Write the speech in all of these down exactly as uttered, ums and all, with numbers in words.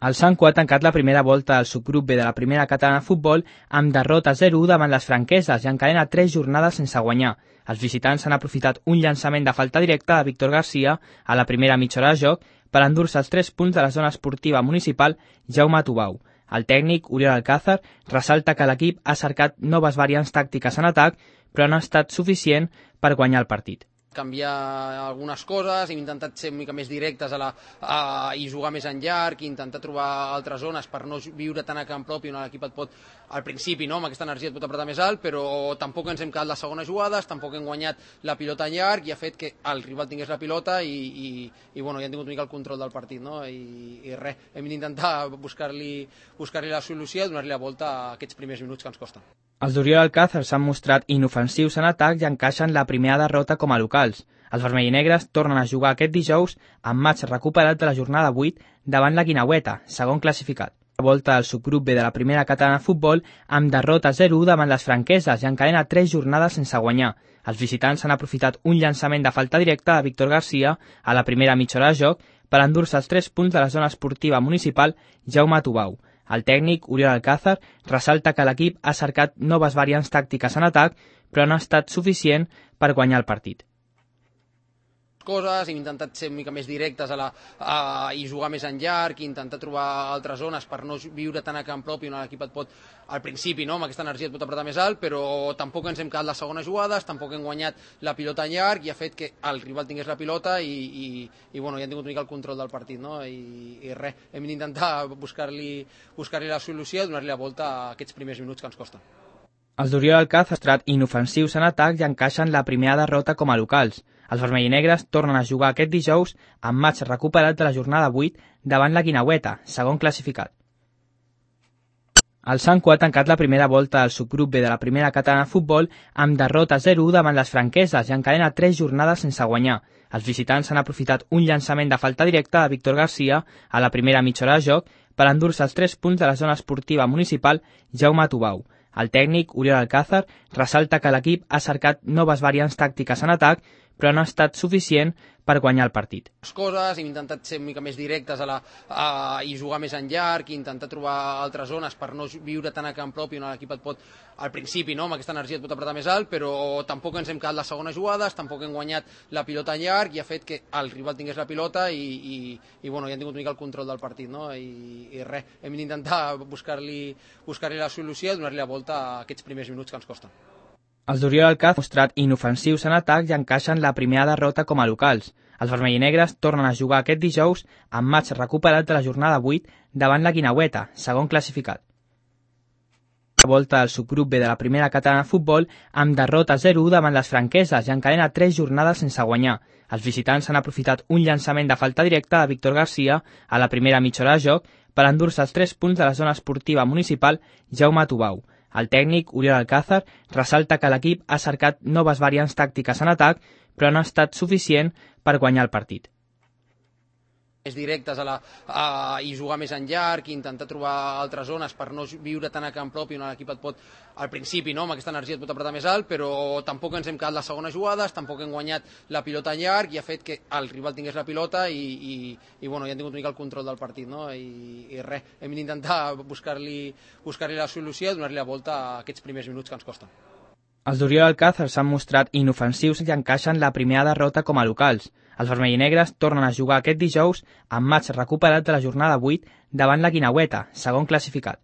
El Sanco ha tancat la primera volta al subgrup B de la primera catalana de futbol amb derrota zero u davant les franqueses i encadena tres jornades sense guanyar. Els visitants han aprofitat un llançament de falta directa de Víctor García a la primera mitja hora de joc per endur-se els tres punts de la zona esportiva municipal Jaume Tubau. El tècnic, Oriol Alcázar, ressalta que l'equip ha cercat noves variants tàctiques en atac, però no ha estat suficient per guanyar el partit. Canviar algunes coses, hem intentat ser una mica més directes a la, a, i jugar més en llarg, i intentar trobar altres zones per no viure tant a camp propi, on l'equip et pot, al principi, no, amb aquesta energia et pot apretar més alt, però tampoc ens hem quedat les segones jugades, tampoc hem guanyat la pilota en llarg, i ha fet que el rival tingués la pilota i, i, i bueno, ja hem tingut una mica el control del partit, no? I, i res, hem d'intentar buscar-li buscar-li la solució i donar-li la volta a aquests primers minuts que ens costen. Els d'Oriol Alcázar s'han mostrat inofensius en atac i encaixen la primera derrota com a locals. Els vermellinegres tornen a jugar aquest dijous amb matx recuperat de la jornada vuit davant la Guineueta, segon classificat. La volta al subgrup B de la primera catalana de futbol amb derrota zero u davant les franqueses i encadena tres jornades sense guanyar. Els visitants han aprofitat un llançament de falta directa de Víctor García a la primera mitja hora de joc per endur-se els tres punts de la zona esportiva municipal Jaume Tubau. El tècnic, Oriol Alcázar, ressalta que l'equip ha cercat noves variants tàctiques en atac, però no ha estat suficient per guanyar el partit. Coses, hem intentat ser una mica més directes a la, a, i jugar més en llarg, i intentar trobar altres zones per no viure tant a camp propi, on l'equip et pot, al principi, no, amb aquesta energia et pot apretar més alt, però tampoc ens hem quedat les segones jugades, tampoc hem guanyat la pilota en llarg, i ha fet que el rival tingués la pilota i, i, i bueno, ja hem tingut una mica el control del partit, no? I, i res, hem d'intentar buscar-li buscar-li la solució i donar-li la volta a aquests primers minuts que ens costen. Els d'Oriol Alcázar han mostrat inofensius en atac i encaixen la primera derrota com a locals. Els vermellinegres tornen a jugar aquest dijous amb matx recuperat de la jornada vuit davant la Guineueta, segon classificat. El Sanco ha tancat la primera volta al subgrup B de la primera catalana de futbol amb derrota zero u davant les franqueses i encadena tres jornades sense guanyar. Els visitants han aprofitat un llançament de falta directa de Víctor García a la primera mitja hora de joc per endur-se els tres punts de la zona esportiva municipal Jaume Tubau. El tècnic, Oriol Alcázar, ressalta que l'equip ha cercat noves variants tàctiques en atac, però no ha estat suficient per guanyar el partit. Les coses, hem intentat ser una mica més directes a la, a, i jugar més en llarg, i intentar trobar altres zones per no viure tant a camp propi, on l'equip et pot, al principi, no, amb aquesta energia et pot apretar més alt, però tampoc ens hem quedat les segones jugades, tampoc hem guanyat la pilota en llarg, i ha fet que el rival tingués la pilota i, i, i bueno, ja hem tingut una mica el control del partit, no? I, i res, hem d'intentar buscar-li buscar-li la solució i donar-li la volta a aquests primers minuts que ens costen. Els d'Oriol Alcázar han mostrat inofensius en atac i encaixen la primera derrota com a locals. Els vermellinegres tornen a jugar aquest dijous amb matx recuperat de la jornada vuit davant la Guineueta, segon classificat. La volta al subgrup B de la primera catalana de futbol amb derrota zero u davant les franqueses i encadena tres jornades sense guanyar. Els visitants han aprofitat un llançament de falta directa de Víctor García a la primera mitja hora de joc per endur-se els tres punts de la zona esportiva municipal Jaume Tubau. El tècnic, Oriol Alcázar, ressalta que l'equip ha cercat noves variants tàctiques en atac, però no ha estat suficient per guanyar el partit. Més directes a la, a, i jugar més en llarg, i intentar trobar altres zones per no viure tant a camp propi, on l'equip et pot, al principi, no, amb aquesta energia et pot apretar més alt, però tampoc ens hem quedat les segones jugades, tampoc hem guanyat la pilota en llarg, i ha fet que el rival tingués la pilota i, i, i bueno, ja hem tingut una mica el control del partit, no? I, i res, hem d'intentar buscar-li buscar-li la solució i donar-li la volta a aquests primers minuts que ens costen. Els d'Oriol Alcázar s'han mostrat inofensius i encaixen la primera derrota com a locals. Els vermellinegres tornen a jugar aquest dijous amb matx recuperat de la jornada vuit davant la Guineueta, segon classificat.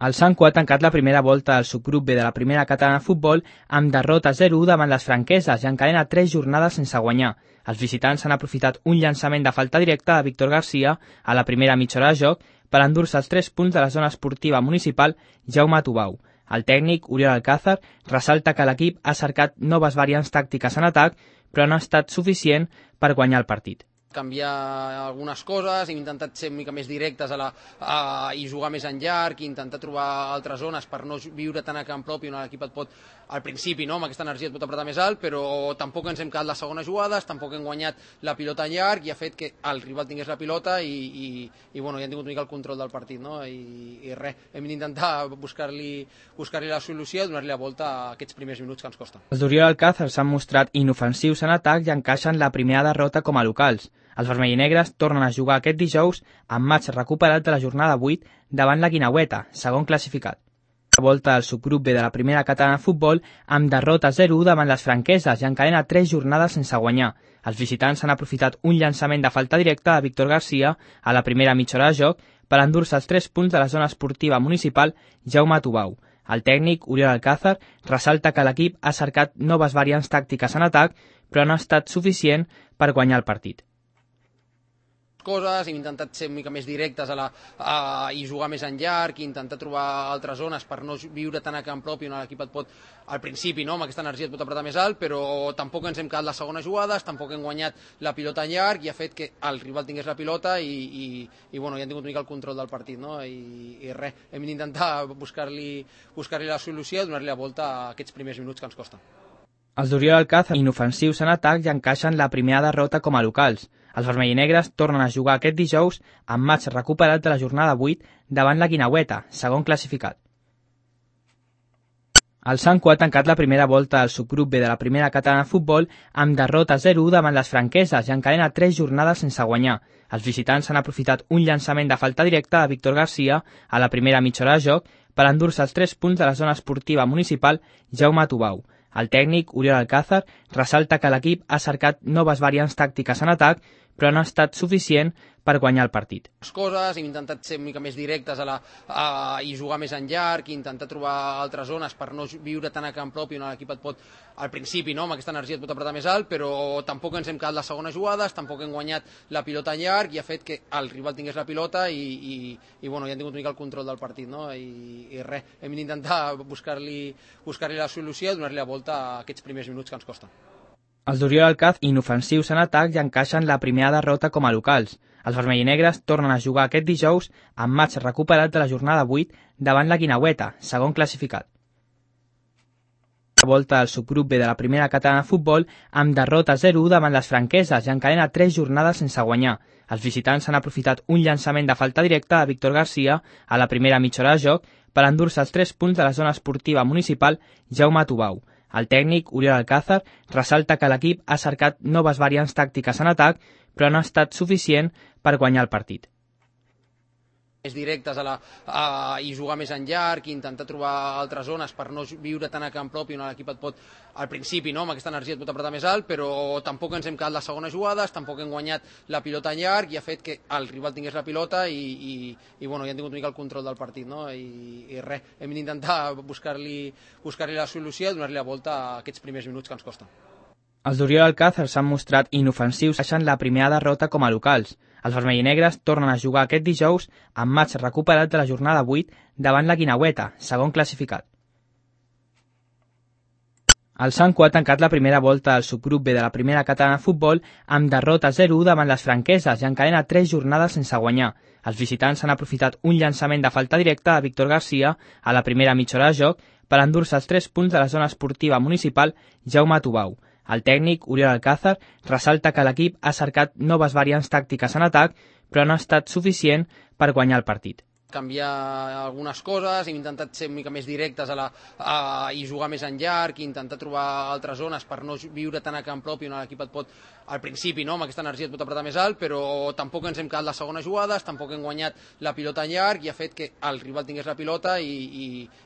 El Sanco ha tancat la primera volta al subgrup B de la primera catalana de futbol amb derrota zero u davant les franqueses i encadena tres jornades sense guanyar. Els visitants han aprofitat un llançament de falta directa de Víctor García a la primera mitja hora de joc per endur-se els tres punts de la zona esportiva municipal Jaume Tubau. El tècnic, Oriol Alcázar, ressalta que l'equip ha cercat noves variants tàctiques en atac, però no ha estat suficient per guanyar el partit. Canviar algunes coses, hem intentat ser una mica més directes a la, a, i jugar més en llarg, i intentar trobar altres zones per no viure tant a camp propi, on l'equip et pot, al principi, no, amb aquesta energia et pot apretar més alt, però tampoc ens hem quedat les segones jugades, tampoc hem guanyat la pilota en llarg, i ha fet que el rival tingués la pilota i, i, i bueno, ja hem tingut una mica el control del partit, no? I, i res, hem d'intentar buscar-li buscar-li la solució i donar-li la volta a aquests primers minuts que ens costen. Els d'Oriol Alcázar s'han mostrat inofensius en atac i encaixen la primera derrota com a locals. Els vermellinegres tornen a jugar aquest dijous amb matx recuperat de la jornada vuit davant la Guineueta, segon classificat. La volta al subgrup B de la primera catalana de futbol amb derrota zero u davant les franqueses i encadena tres jornades sense guanyar. Els visitants han aprofitat un llançament de falta directa de Víctor Garcia a la primera mitja hora de joc per endur-se els tres punts de la zona esportiva municipal Jaume Tubau. El tècnic, Oriol Alcázar, ressalta que l'equip ha cercat noves variants tàctiques en atac, però no ha estat suficient per guanyar el partit. Coses, hem intentat ser una mica més directes a la, a, i jugar més en llarg, i intentar trobar altres zones per no viure tant a camp propi on l'equip et pot, al principi, no, amb aquesta energia et pot apretar més alt, però tampoc ens hem quedat les segones jugades, tampoc hem guanyat la pilota en llarg i ha fet que el rival tingués la pilota i, i, i bueno, ja hem tingut una mica el control del partit, no? I, i res, hem d'intentar buscar-li buscar-li la solució i donar-li la volta a aquests primers minuts que ens costen. Els d'Oriol Alcázar, inofensius en atac, i encaixen la primera derrota com a locals. Els vermellinegres tornen a jugar aquest dijous amb matx recuperat de la jornada vuit davant la Guineueta, segon classificat. El Sanco ha tancat la primera volta al subgrup B de la primera catalana de futbol amb derrota zero u davant les franqueses i encadena tres jornades sense guanyar. Els visitants han aprofitat un llançament de falta directa de Víctor Garcia a la primera mitja hora de joc per endur-se els tres punts de la zona esportiva municipal Jaume Tubau. El tècnic, Oriol Alcázar, ressalta que l'equip ha cercat noves variants tàctiques en atac, però no ha estat suficient per guanyar el partit. Les coses, hem intentat ser una mica més directes a la, a, i jugar més en llarg, i intentar trobar altres zones per no viure tant a camp propi on l'equip et pot, al principi, no, amb aquesta energia et pot apretar més alt, però tampoc ens hem quedat les segones jugades, tampoc hem guanyat la pilota en llarg i ha fet que el rival tingués la pilota i, i, i bueno, ja hem tingut una mica el control del partit, no? I, i res, hem d'intentar buscar-li buscar-li la solució i donar-li la volta a aquests primers minuts que ens costen. Els d'Oriol Alcázar, inofensius en atac, i encaixen la primera derrota com a locals. Els vermellinegres tornen a jugar aquest dijous amb matx recuperat de la jornada vuit davant la Guineueta, segon classificat. La volta al subgrup B de la primera catalana de futbol amb derrota zero u davant les franqueses i encadena tres jornades sense guanyar. Els visitants han aprofitat un llançament de falta directa de Víctor Garcia a la primera mitja hora de joc per endur-se els tres punts de la zona esportiva municipal Jaume Tubau. El tècnic, Oriol Alcázar, ressalta que l'equip ha cercat noves variants tàctiques en atac, però no ha estat suficient per guanyar el partit. Més directes a la, a, i jugar més en llarg, i intentar trobar altres zones per no viure tant a camp propi on l'equip et pot, al principi, no, amb aquesta energia et pot apretar més alt, però tampoc ens hem quedat les segones jugades, tampoc hem guanyat la pilota en llarg i ha fet que el rival tingués la pilota i, i, i bueno, ja hem tingut una mica el control del partit, no? I, i res, hem d'intentar buscar-li buscar-li la solució i donar-li la volta a aquests primers minuts que ens costen. Els d'Oriol Alcázar s'han mostrat inofensius, deixant la primera derrota com a locals. Els vermellinegres tornen a jugar aquest dijous amb matx recuperat de la jornada vuit davant la Guineueta, segon classificat. El Sanco ha tancat la primera volta al subgrup B de la primera catalana de futbol amb derrota zero u davant les franqueses i encadena tres jornades sense guanyar. Els visitants han aprofitat un llançament de falta directa de Víctor Garcia a la primera mitja hora de joc per endur-se els tres punts de la zona esportiva municipal Jaume Tubau. El tècnic, Oriol Alcázar, ressalta que l'equip ha cercat noves variants tàctiques en atac, però no ha estat suficient per guanyar el partit. Canviar algunes coses, hem intentat ser una mica més directes a la, a, i jugar més en llarg, i intentar trobar altres zones per no viure tant a camp propi on l'equip et pot, al principi, no, amb aquesta energia et pot apretar més alt, però tampoc ens hem quedat les segones jugades, tampoc hem guanyat la pilota en llarg i ha fet que el rival tingués la pilota i, i,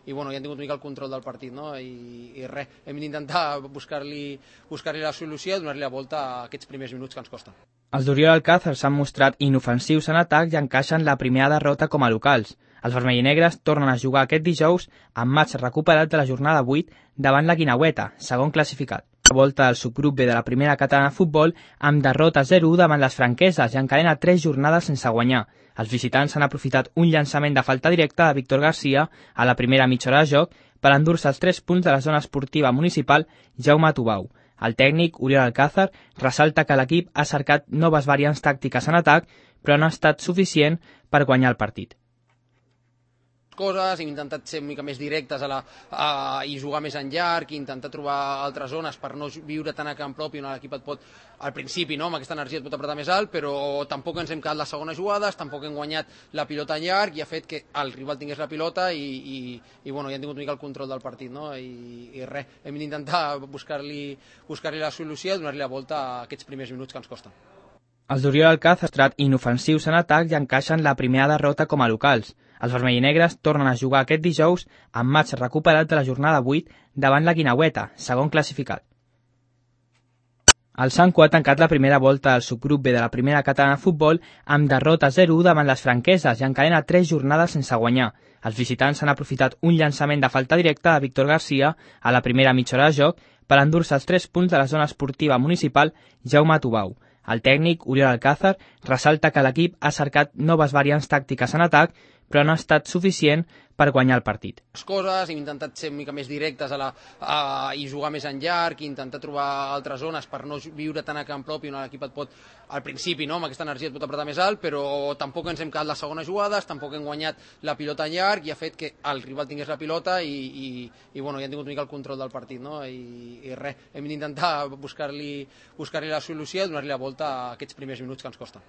i bueno, ja hem tingut una mica el control del partit, no? I, i res, hem d'intentar buscar-li buscar-li la solució i donar-li la volta a aquests primers minuts que ens costen. Els d'Oriol Alcázar s'han mostrat inofensius en atac i encaixen la primera derrota com a locals. Els vermellinegres tornen a jugar aquest dijous amb matx recuperat de la jornada vuit davant la Guineueta, segon classificat. La volta al subgrup B de la primera catalana de futbol amb derrota zero u davant les franqueses i encadena tres jornades sense guanyar. Els visitants han aprofitat un llançament de falta directa de Víctor Garcia a la primera mitja hora de joc per endur-se els tres punts de la zona esportiva municipal Jaume Tubau. El tècnic, Oriol Alcázar, ressalta que l'equip ha cercat noves variants tàctiques en atac, però no ha estat suficient per guanyar el partit. Coses, hem intentat ser una mica més directes a la, a, i jugar més en llarg, i intentar trobar altres zones per no viure tant a camp propi on l'equip et pot, al principi, no, amb aquesta energia et pot apretar més alt, però tampoc ens hem quedat les segones jugades, tampoc hem guanyat la pilota en llarg i ha fet que el rival tingués la pilota i, i, i bueno, ja hem tingut una mica el control del partit, no? I, i res, hem d'intentar buscar-li buscar-li la solució i donar-li la volta a aquests primers minuts que ens costen. Els d'Oriol Alcázar han mostrat inofensius en atac i encaixen la primera derrota com a locals. Els vermellinegres tornen a jugar aquest dijous amb matx recuperat de la jornada vuit davant la Guineueta, segon classificat. El Sanco ha tancat la primera volta al subgrup B de la primera catalana de futbol amb derrota zero u davant les franqueses i encadena tres jornades sense guanyar. Els visitants han aprofitat un llançament de falta directa de Víctor García a la primera mitja hora de joc per endur-se els tres punts de la zona esportiva municipal Jaume Tubau. El tècnic, Oriol Alcázar, ressalta que l'equip ha cercat noves variants tàctiques en atac, però no ha estat suficient per guanyar el partit. Les coses, hem intentat ser una mica més directes a la, a, i jugar més en llarg, i intentar trobar altres zones per no viure tant a camp propi, on l'equip et pot, al principi, no, amb aquesta energia et pot apretar més alt, però tampoc ens hem quedat les segones jugades, tampoc hem guanyat la pilota en llarg, i ha fet que el rival tingués la pilota i, i, i bueno, ja han tingut una mica el control del partit, no? I, i res, hem d'intentar buscar-li buscar-li la solució i donar-li la volta a aquests primers minuts que ens costa.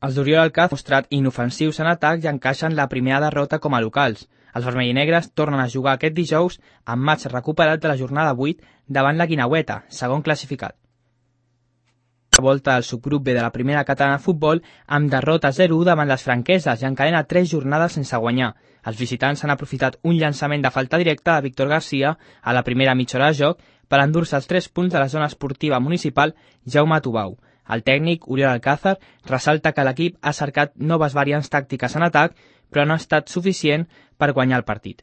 Els d'Oriol Alcázar han mostrat inofensius en atac i encaixen la primera derrota com a locals. Els vermellinegres tornen a jugar aquest dijous amb matx recuperat de la jornada vuit davant la Guineueta, segon classificat. La volta al subgrup B de la primera catalana de futbol amb derrota zero u davant les franqueses i encadena tres jornades sense guanyar. Els visitants han aprofitat un llançament de falta directa de Víctor García a la primera mitja hora de joc per endur-se els tres punts de la zona esportiva municipal Jaume Tubau. El tècnic, Oriol Alcázar, ressalta que l'equip ha cercat noves variants tàctiques en atac, però no ha estat suficient per guanyar el partit.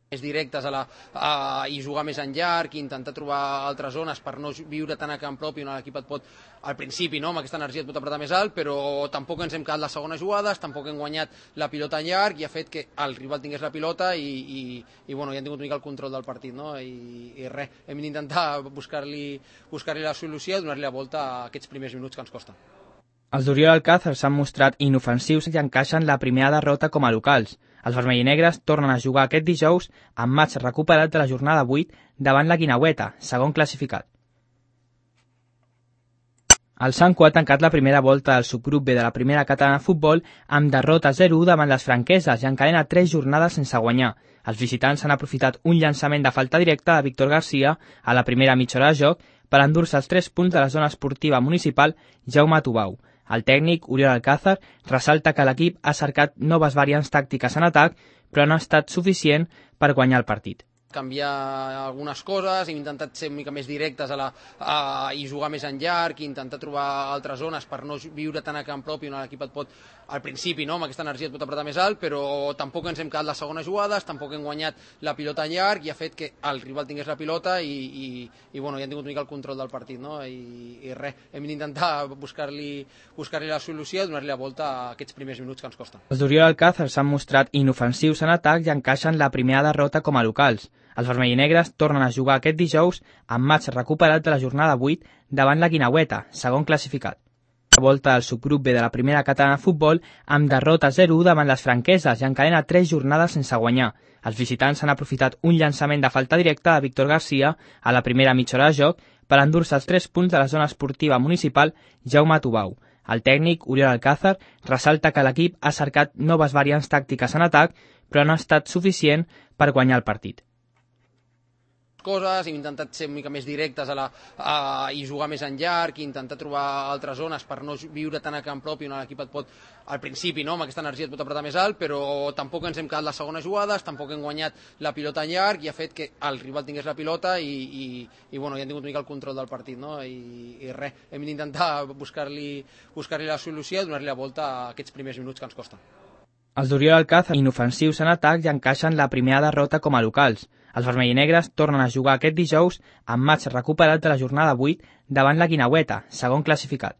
Més directes a la, a, i jugar més en llarg, i intentar trobar altres zones per no viure tant a camp propi, on l'equip et pot, al principi, no, amb aquesta energia et pot apretar més alt, però tampoc ens hem quedat les segones jugades, tampoc hem guanyat la pilota en llarg, i ha fet que el rival tingués la pilota i, i, i bueno, ja han tingut una mica el control del partit, no? I, i res, hem d'intentar buscar-li buscar-li la solució i donar-li la volta a aquests primers minuts que ens costa. Els d'Oriol Alcázar s'han mostrat inofensius i encaixen la primera derrota com a locals. Els vermellinegres tornen a jugar aquest dijous amb matx recuperat de la jornada vuit davant la Guineueta, segon classificat. El Sanco ha tancat la primera volta al subgrup B de la primera catalana de futbol amb derrota zero u davant les franqueses i encadena tres jornades sense guanyar. Els visitants han aprofitat un llançament de falta directa de Víctor García a la primera mitja hora de joc per endur-se els tres punts de la zona esportiva municipal Jaume Tubau. El tècnic, Oriol Alcázar, ressalta que l'equip ha cercat noves variants tàctiques en atac, però no ha estat suficient per guanyar el partit. Canviar algunes coses, hem intentat ser una mica més directes a la, a, i jugar més en llarg, i intentar trobar altres zones per no viure tant a camp propi, on l'equip et pot, al principi, no, amb aquesta energia et pot apretar més alt, però tampoc ens hem quedat les segones jugades, tampoc hem guanyat la pilota en llarg, i ha fet que el rival tingués la pilota i, i, i bueno, ja han tingut una mica el control del partit, no? I, i res, hem d'intentar buscar-li buscar-li la solució i donar-li la volta a aquests primers minuts que ens costa. Els d'Oriol Alcázar s'han mostrat inofensius en atac i encaixen la primera derrota com a locals. Els vermellinegres tornen a jugar aquest dijous amb matx recuperat de la jornada vuit davant la Guineueta, segon classificat. La volta al subgrup B de la primera catalana de futbol amb derrota zero u davant les franqueses i encadena tres jornades sense guanyar. Els visitants han aprofitat un llançament de falta directa de Víctor García a la primera mitja hora de joc per endur-se els tres punts de la zona esportiva municipal Jaume Tubau. El tècnic, Oriol Alcázar, ressalta que l'equip ha cercat noves variants tàctiques en atac, però no ha estat suficient per guanyar el partit. Coses, hem intentat ser una mica més directes a la, a, i jugar més en llarg, i intentar trobar altres zones per no viure tant a camp propi, on l'equip et pot, al principi, no, amb aquesta energia et pot apretar més alt, però tampoc ens hem quedat les segones jugades, tampoc hem guanyat la pilota en llarg, i ha fet que el rival tingués la pilota i, i, i bueno, ja han tingut una mica el control del partit, no? I, i res, hem d'intentar buscar-li buscar-li la solució i donar-li la volta a aquests primers minuts que ens costa. Els d'Oriol Alcázar inofensius en atac i encaixen la primera derrota com a locals. Els vermellinegres tornen a jugar aquest dijous amb matx recuperat de la jornada vuit davant la Guineueta, segon classificat.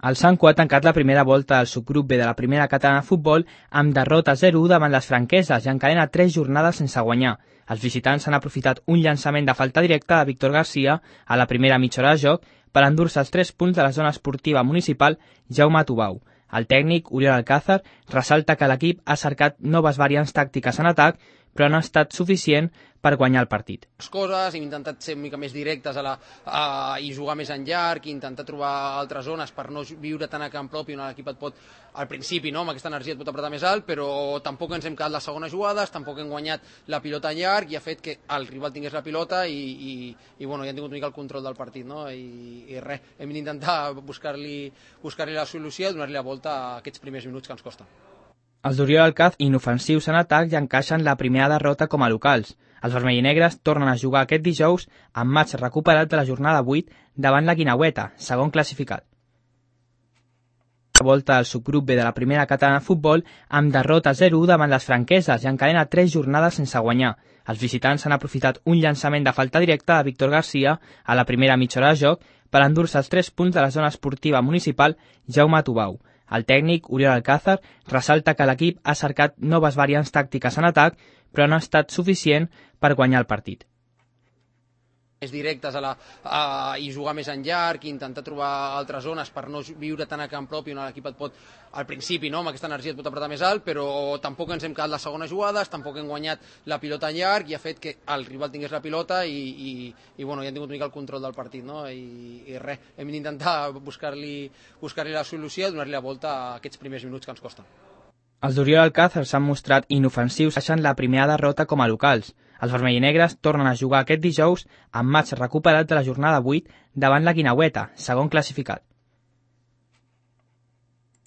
El Sanco ha tancat la primera volta al subgrup B de la primera catalana de futbol amb derrota zero u davant les franqueses i encadena tres jornades sense guanyar. Els visitants han aprofitat un llançament de falta directa de Víctor García a la primera mitja hora de joc per endur-se els tres punts de la zona esportiva municipal Jaume Tubau. El tècnic, Oriol Alcázar, ressalta que l'equip ha cercat noves variants tàctiques en atac, però no ha estat suficient per guanyar el partit. Les coses, hem intentat ser una mica més directes a la, a, i jugar més en llarg, i intentar trobar altres zones per no viure tant a camp propi, on l'equip et pot, al principi, no, amb aquesta energia et pot apretar més alt, però tampoc ens hem quedat les segones jugades, tampoc hem guanyat la pilota en llarg, i ha fet que el rival tingués la pilota i, i, i bueno, ja hem tingut una mica el control del partit, no? I, i res, hem d'intentar buscar-li buscar-li la solució i donar-li la volta a aquests primers minuts que ens costa. Els d'Oriol Alcaz, inofensius en atac, i encaixen la primera derrota com a locals. Els vermellinegres tornen a jugar aquest dijous amb matx recuperat de la jornada vuit davant la Guineueta, segon classificat. La volta al subgrup B de la primera catalana de futbol amb derrota zero u davant les franqueses i encadena tres jornades sense guanyar. Els visitants han aprofitat un llançament de falta directa de Víctor Garcia a la primera mitja hora de joc per endur-se els tres punts de la zona esportiva municipal Jaume Tubau. El tècnic, Oriol Alcázar, ressalta que l'equip ha cercat noves variants tàctiques en atac, però no ha estat suficient per guanyar el partit. Més directes a la, a, i jugar més en llarg, i intentar trobar altres zones per no viure tant a camp propi, on l'equip et pot, al principi, no, amb aquesta energia et pot apretar més alt, però tampoc ens hem quedat les segones jugades, tampoc hem guanyat la pilota en llarg, i ha fet que el rival tingués la pilota i, i, i bueno, ja hem tingut una mica el control del partit, no? I, i res, hem d'intentar buscar-li buscar-li la solució i donar-li la volta a aquests primers minuts que ens costa. Els d'Oriol Alcázar s'han mostrat inofensius, deixant la primera derrota com a locals. Els vermellinegres tornen a jugar aquest dijous amb matx recuperat de la jornada vuit davant la Guineueta, segon classificat.